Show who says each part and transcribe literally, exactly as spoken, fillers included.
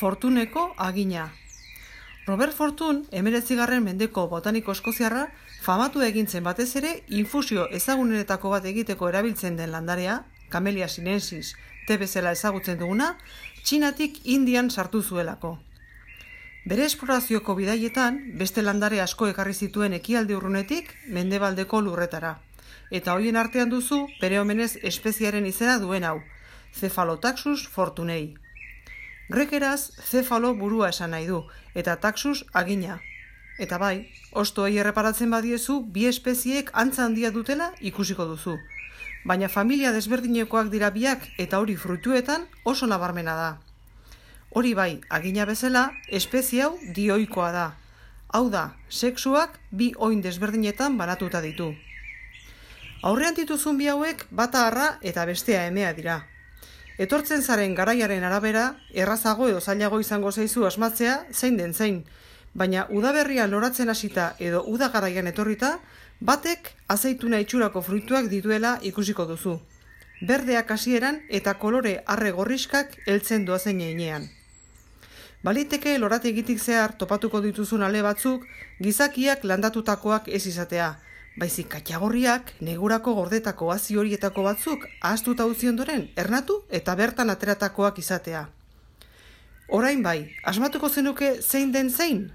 Speaker 1: Fortuneko agina. Robert Fortune, hemeretzigarren mendeko botaniko eskoziarra, famatu egintzen batez ere infusio ezagunenetako bat egiteko erabiltzen den landarea, Camellia sinensis, te bezala ezagutzen duguna, Txinatik Indian sartu zuelako. Bere esplorazioko bidaietan, beste landare asko ekarri zituen ekialde urrunetik mendebaldeko lurretara. Eta hoien artean duzu, bere omenez espeziaren izena duen hau, Cephalotaxus fortunei. Grekeraz, cefalo burua esan nahi du, eta taxus agina. Eta bai, hostoei erreparatzen badiezu, bi espeziek antza handia dutela ikusiko duzu. Baina familia desberdinekoak dira biak eta hori fruituetan oso nabarmena da. Hori bai, agina bezala, espezie hau dioikoa da. Hau da, sexuak bi oin desberdinetan banatuta ditu. Aurrean dituzun bi hauek bata harra eta bestea emea dira. Etortzen zaren garaiaren arabera, errazago edo zailago izango zaizu asmatzea zein den zein, baina udaberrian loratzen hasita edo uda garaian etorrita, batek azeituna itxurako fruituak dituela ikusiko duzu. Berdeak hasieran eta kolore arre gorriskak heltzen doazen heinean. Baliteke lorategitik zehar topatuko dituzun ale batzuk, gizakiak landatutakoak ez izatea, baizik katxagorriak negurako gordetako hazi horietako batzuk ahaztuta utzi ondoren ernatu eta bertan ateratakoak izatea. Orain bai, asmatuko zenuke zein den zein?